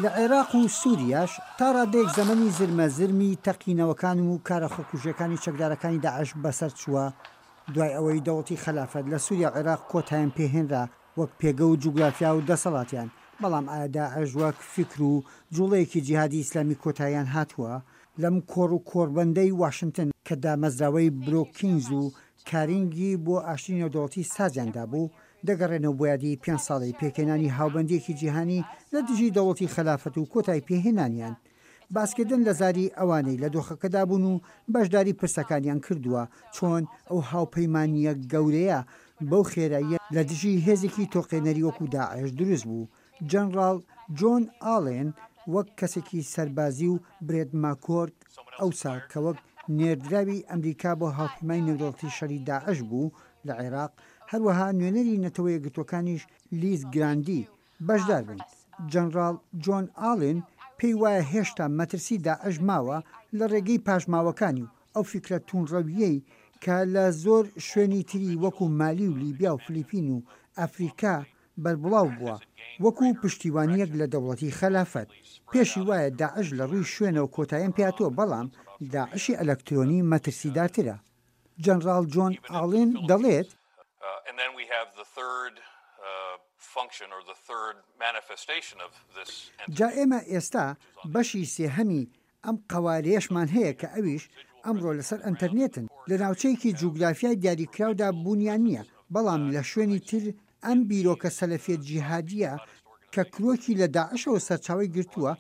لە عێراق و سوریاش تا ڕادەیەک زەمەنی زرمە زرمی تەقینەوەکان و کارە خۆکوژیەکانی چەکدارەکانی داعش بەسەر چووە، دوای ئەوەی دەوڵەتی خەلافەت لە سوریا و عێراق کۆتایان پێهێنرا وەک پێگە و جوگرافیا و دەسەڵاتیان، بەڵام ئایا داعش وەک فیکر و جوڵەیەکی جیهادی ئیسلامی کۆتاییان هاتووە؟ لەم کۆڕ و کۆڕبەندەی واشنتن کە دامەزراوەی برۆکینز و کارینگی بۆ ئاشتی نێودەوڵەتی سازیان دابوو، دەگەڕێنەوە بۆ یادی پێنج ساڵەی پێکهێنانی هاوبەندییەکی جیهانی لە دژی دەوڵەتی خەلافەت و کۆتایی پێهێنانیان. باسکردن لە زاری ئەوانەی لە دۆخەکەدا بوون و بەشداری پرسەکانیان کردووە، چۆن ئەو هاوپەیمانییە گەورەیە بەو خێراییە لە دژی هێزێکی تۆقێنەری وەکو داعش دروست بوو. جەنڕاڵ جۆن ئاڵێن وەک کەسێکی سەربازی و برێت ماکۆرک ئەوسا کە وەک نێردراوی ئەمریکا بۆ هاوپەیمانی نێودەوڵەتی شەری داعش بوو لە عێراق، هەروەها نوێنەری نەتەوە یەکگرتووەکانیش لیز گراندی بەشدار بوون. جەنڕاڵ جۆن ئاڵێن پێی وایە هێشتا مەترسی داعش ماوە لە ڕێگەی پاشماوەکانی و ئەو فیکرە تووندڕەوییەی کە لە زۆر شوێنی تری وەکو مالی و لیبیا و فلیپین و ئەفریکا بەربڵاو بووە وەکو پشتیوانییەک لە دەوڵەتی خەلافەت. پێشی وایە داعش لە ڕووی شوێنەوە کۆتاییان پێهاتووە بەڵام داعشی ئەلەکترۆنی مەترسیدارترە. جەنڕاڵ جۆن ئاڵێن دەڵێت. جا ئێمە ئێستا بەشی سێهەمی ئەم قەوارەیەشمان هەیە کە ئەویش ئەمڕۆ لەسەر ئەنتەرنێتن، لە ناوچەیەکی جوگرافیای دیاریکراودا بوونیان نییە، بەڵام لە شوێنی تر ئەم بیرۆکە سەلەفیە جیهادییە کە کرۆکی لە داعشەوە سەرچاوەی گرتووە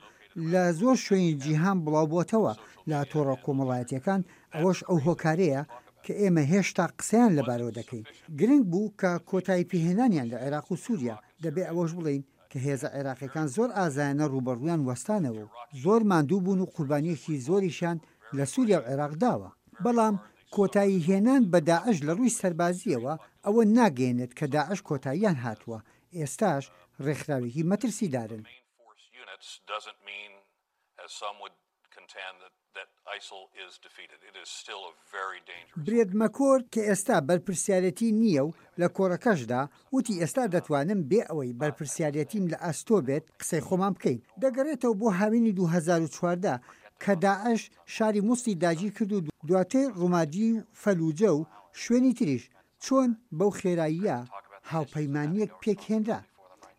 لە زۆر شوێنی جیهان بڵاوبۆتەوە لە تۆڕە کۆمەڵایەتیەکان، ئەوەش ئەو هۆکارەیە کە ئێمە هێشتا قسەیان لەبارەوە دەکەین. گرنگ بوو کە کۆتاییپێهێنانیان لە عێراق و سوریا، دەبێ ئەوەش بڵێین کە هێزە عێراقیەکان زۆر ئازایانە ڕووبەڕوویان وەستانەوە و زۆر ماندوو بوون و قوربانیەکی زۆریشیان لە سوریا و عێراق داوە، بەڵام کۆتایی هێنان بە داعش لە ڕووی سەربازییەوە ئەوە ناگەیەنێت کە داعش کۆتاییان هاتووە، ئێستاش ڕێکخراوێکی مەترسیدارن. برێت مەکۆرد کە ئێستا بەرپرسیارێتی نییە و لە کۆڕەکەشدا وتی ئێستا دەتوانم بێ ئەوەی بەرپرسیارێتیم لە ئەستۆ بێت قسەی خۆمان بکەین دەگەڕێتەوە بۆ هاوینی 2014 کە داعش شاری موسڵی داگیرکرد و دواتر ڕومادی و فەلوجە و شوێنی تریش چۆن بەو خێراییە هاوپەیمانییەک پێکهێنرا؟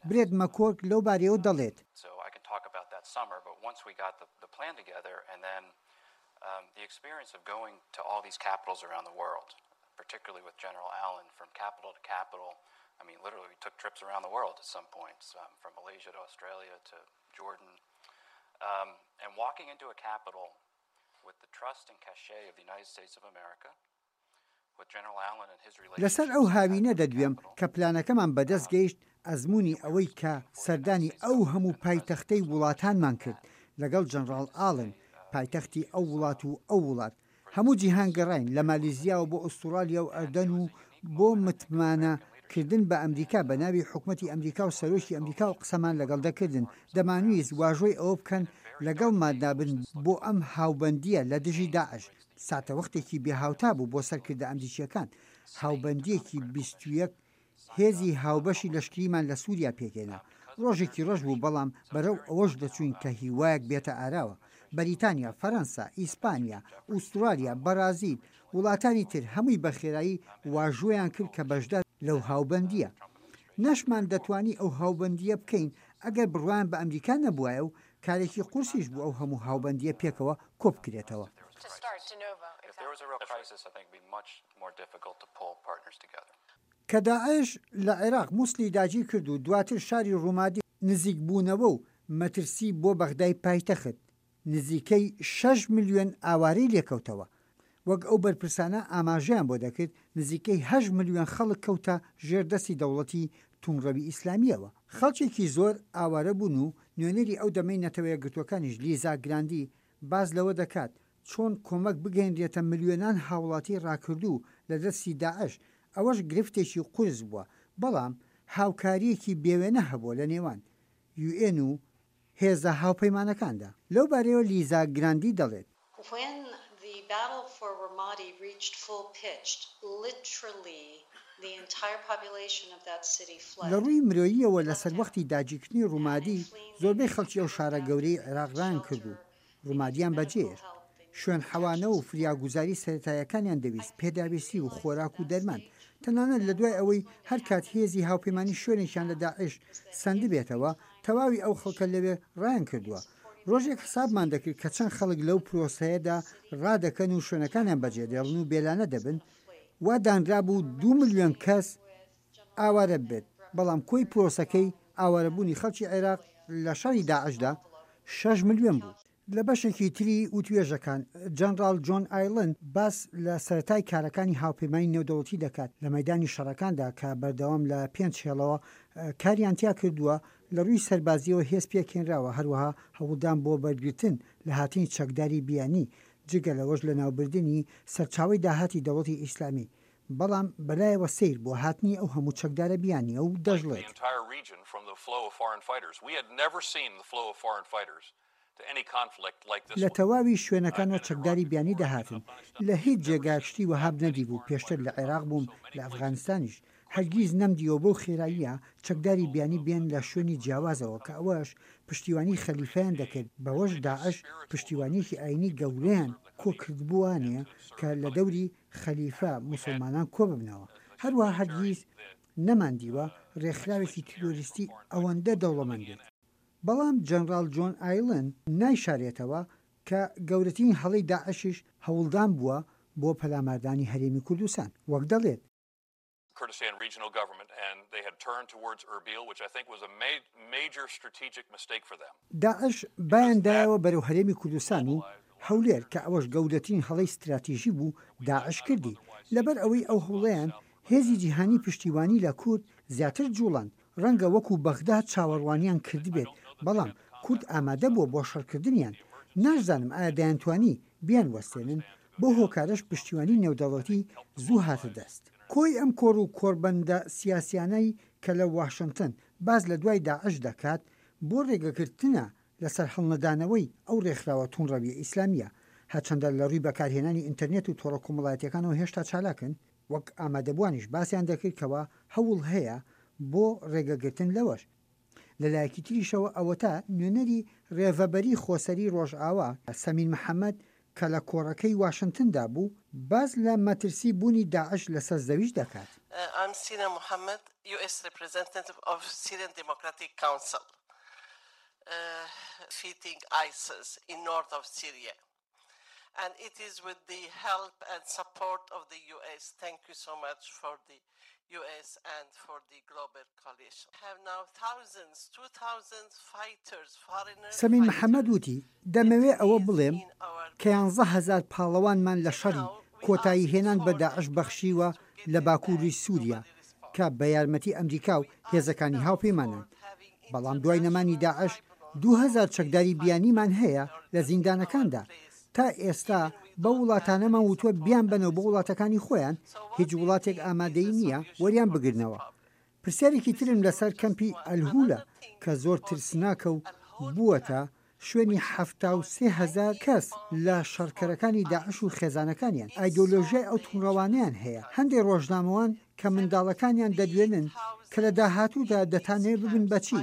برێت مەکۆرک لەو بارەیەوە دەڵێت. لەسەر ئەو هاوینە دەدوێم کە پلانەکەمان بەدەست گەیشت، ئەزموونی ئەوەی کە سەردانی ئەو هەموو پایتەختەی وڵاتانمان کرد لەگەڵ جەنڕاڵ ئاڵن، پایتەختی ئەو وڵات و ئەو وڵات، هەموو جیهان گەڕاین، لە مالیزیاوە بۆ ئوستوڕالیا و ئەردەن و بۆ متمانە کردن بە ئەمریکا بە ناوی حکومەتی ئەمریکا و سەرۆکی ئەمریکاوە قسەمان لەگەڵ دەکردن، دەمانویست واژۆی ئەوە بکەن لەگەڵماندا بن بۆ ئەم هاوبەندییە لە دژی داعش. ساتەوەختێکی بێهاوتا بوو بۆ سەرکردە ئەمریکییەکان، هاوبەندییەکی 21 هێزی هاوبەشی لەشکریمان لە سووریا پێکهێنا. ڕۆژێکی ڕەش بوو، بەڵام بەرەو ئەوەش دەچووین کە هیوایەک بێتە ئاراوە. بەریتانیا، فەرەنسا، ئیسپانیا، ئوسترالیا، بەرازیل، وڵاتانی تر هەمووی بە خێرایی واژۆیان کرد کە بەشدار لەو هاوبەندییە. نەشمان دەتوانی ئەو هاوبەندییە بکەین ئەگەر بڕوایان بە ئەمریکا نەبوایە و کارێکی قورسیش بوو ئەو هەموو هاوبەندییە پێکەوە کۆبکرێتەوە. کە داعش لە عێراق موسڵی داگیرکرد و دواتر شاری ڕومادی، نزیکبوونەوە و مەترسی بۆ بەغدای پایتەخت، نزیکەی شەش ملیۆن ئاوارەی لێکەوتەوە. وەک ئەو بەرپرسانە ئاماژەیان بۆ دەکرد، نزیکەی هەشت ملیۆن خەڵک کەوتە ژێر دەستی دەوڵەتی توندڕەوی ئیسلامییەوە. خەڵکێکی زۆر ئاوارە بوون و نوێنەری ئەو دەمەی نەتەوەیەکگرتووەکانیش لیزا گراندی باس لەوە دەکات چۆن کۆمەک بگەینرێتە ملیۆنان هاوڵاتی ڕاکردوو لە دەستی داعش، ئەوەش گرفتێکی قورس بووە، بەڵام هاوکارییەکی بێوێنە هەبووە لە نێوان یوئێن و هێزە هاوپەیمانەکاندا. لەو بارەیەوە لیزا گراندی دەڵێت. When the battle for Ramadi reached full pitch, literally. لە ڕووی مرۆییەوە لە سەروەختی داگیرکردنی ڕومادی زۆربەی خەڵکی ئەو شارە گەورەی عێراق ڕایانکرد و ڕومادیان بەجێهێشت. شوێن حەوانە و فریاگوزاری سەرەتاییەکانیان دەویست، پێداویستی و خۆراک و دەرمان. تەنانەت لە دوای ئەوەی هەر کات هێزی هاوپەیمانی شوێنێکیان لە داعش سەندبێتەوە، تەواوی ئەو خەڵکە لەوێ ڕایانکردووە. ڕۆژێک حسابمان دەکرد کە چەند خەڵک لەو پرۆسەیەدا ڕادەکەن و شوێنەکانیان بەجێدێڵن و بێلانە دەبن، وا دانرابوو دوو ملیۆن کەس ئاوارە ببێت، بەڵام کۆی پرۆسەکەی ئاوارەبوونی خەڵکی عێراق لە شەڕی داعشدا شەش ملیۆن بوو. لە بەشێکی تری وتوێژەکان، جەنڕاڵ جۆن ئایڵن باس لە سەرەتای کارەکانی هاوپەیمانی نێودەوڵەتی دەکات لە مەیدانی شەڕەکاندا کە بەردەوام لە پێنچ هێڵەوە کاریان تیا کردووە، لە ڕووی سەربازییەوە هێز پێکهێنراوە، هەروەها هەوڵدان بۆ بەرگرتن لە هاتنی چەکداری بیانی، جگە لەوەش لەناوبردنی سەرچاوەی داهاتی دەوڵەتی ئیسلامی، بەڵام بەلایەوە سەیر بووە هاتنی ئەو هەموو چەکدارە بیانییە و دەشڵێت. لە تەواوی شوێنەکانەوە چەکداری بیانی دەهاتن، لە هیچ جێگایەک شتی وەهام نەدیبوو، پێشتر لە عێراق بووم، لە ئەفغانستانیش، هەرگیز نەمدیوە بەو خێراییە چەکداری بیانی بێن لە شوێنی جیاوازەوە کە ئەوەش پشتیوانی خەلیفەیان دەکرد، بەوەش داعش پشتیوانیەکی ئاینی گەورەیان کۆکردبووانێ کە لە دەوری خەلیفە موسڵمانان کۆببنەوە، هەروەها هەرگیز نەماندیوە رێکخراوێکی تیرۆریستی ئەوەندە دەوڵەمەند بێت. بەڵام جەنراڵ جۆن ئایڵن نایشارێتەوە کە گەورەترین هەڵەی داعشیش هەوڵدان بووە بۆ پەلاماردانی هەرێمی کوردستان، وەک دەڵێت. Kurdistan Regional Government and they had turned towards Erbil, which I think was a major strategic mistake for them. داعش بایان دایەوە بەرەو هەرێمی کوردستان و هەولێر کە ئەوەش گەورەترین هەڵەی ستراتیژی بوو داعش کردی لەبەر ئەوەی ئەو هەوڵەیان هێزی جیهانی پشتیوانی لە کورد زیاتر جوڵاند ڕەنگە وەکو بەغدا چاوەڕوانیان کردبێت بەڵام کورد ئامادە بووە بۆ شەڕکردنیان ناشزانم ئایا دەیانتوانی بیانوەستێنن بەو هۆکارەش پشتیوانی نێودەوڵەتی زوو هاتە دەست. کۆی ئەم کۆڕ و کۆڕبەندە سیاسیانەی کە لە واشنتن باس لە دوای داعش دەکات بۆ ڕێگەگرتنە لە سەرهەڵنەدانەوەی ئەو ڕێکخراوە توندڕەویە ئیسلامییە، هەرچەندە لە ڕووی بەکارهێنانی ئینتەرنێت و تۆڕە کۆمەڵایەتیەکانەوە هێشتا چالاکن، وەک ئامادەبووانیش باسیان دەکرد کەوا هەوڵ هەیە بۆ ڕێگەگرتن لەوەش. لە لایەکی تریشەوە ئەوەتا نوێنەری رێڤەبەری خۆسەری رۆژئاوا، سەمیر محەمەد کە لە کۆڕەکەی واشنتندا بوو، باس لە مەترسی بوونی داعش لەسەر زەویش دەکات. I'm Sina Mohammed, US representative of Syrian Democratic Council, defeating ISIS in north of Syria. And it is with the help and support of the US. Thank you so much for the US and for the global coalition. Have now thousands, 2,000 fighters, foreigners سەمین محەمەد وتی، دەمەوێ ئەوە بڵێم کە 11,000 پاڵەوانمان لە شەڕی کۆتایی هێنان بە داعش بەخشیوە لە باکووری سووریا کە بە یارمەتی ئەمریکا و هێزەکانی هاوپەیمانان. بەڵام دوای نەمانی داعش 2000 چەکداری بیانیمان هەیە لە زیندانەکاندا، تا ئێستا بەو وڵاتانەمان وتوە بیانبەنەوە بۆ وڵاتەکانی خۆیان، هیچ وڵاتێک ئامادەیی نییە وەریان بگرنەوە. پرسیارێکی ترم لەسەر کەمپی ئەلهولە کە زۆر ترسناکە و بووەتە شوێنی 73 هەزار کەس لە شەڕکەرەکانی داعش و خێزانەکانیان، ئایدۆلۆژیای ئەو توندڕەوانەیان هەیە، هەندێک ڕۆژنامەوان کە منداڵەکانیان دەدوێنن کە لە داهاتوودا دەتانەوێت ببن بە چی،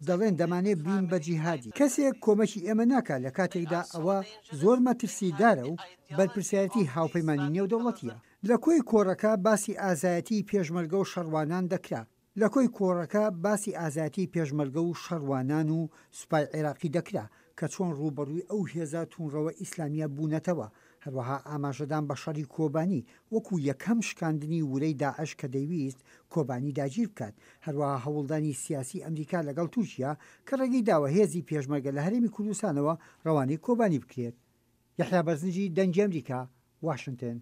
دەڵێن دەمانەوێت ببین بە جیهادی. کەسێک کۆمەکی ئێمە ناکات لە کاتێکدا ئەوە زۆر مەترسیدارە و بەرپرسیارێتی هاوپەیمانی نێودەوڵەتییە. لە کۆی کۆڕەکە باسی ئازایەتیی پێشمەرگە و شەڕوانان دەکرا. لە کۆی کۆڕەکە باسی ئازایەتیی پێشمەرگە و شەڕوانان و سوپای عێراقی دەکرا کە چۆن ڕووبەڕووی ئەو هێزە تووندڕەوە ئیسلامییە بوونەتەوە، هەروەها ئاماژەدان بە شەڕی کۆبانی وەکو یەکەم شکاندنی ورەی داعش کە دەیویست کۆبانی داگیر بکات، هەروەها هەوڵدانی سیاسی ئەمریکا لەگەڵ تورکیا کە ڕێگەی داوە هێزی پێشمەرگە لە هەرێمی کوردستانەوە ڕەوانەی کۆبانی بکرێت. یەحیا بەرزنجی، دەنگی ئەمریکا، واشنتن.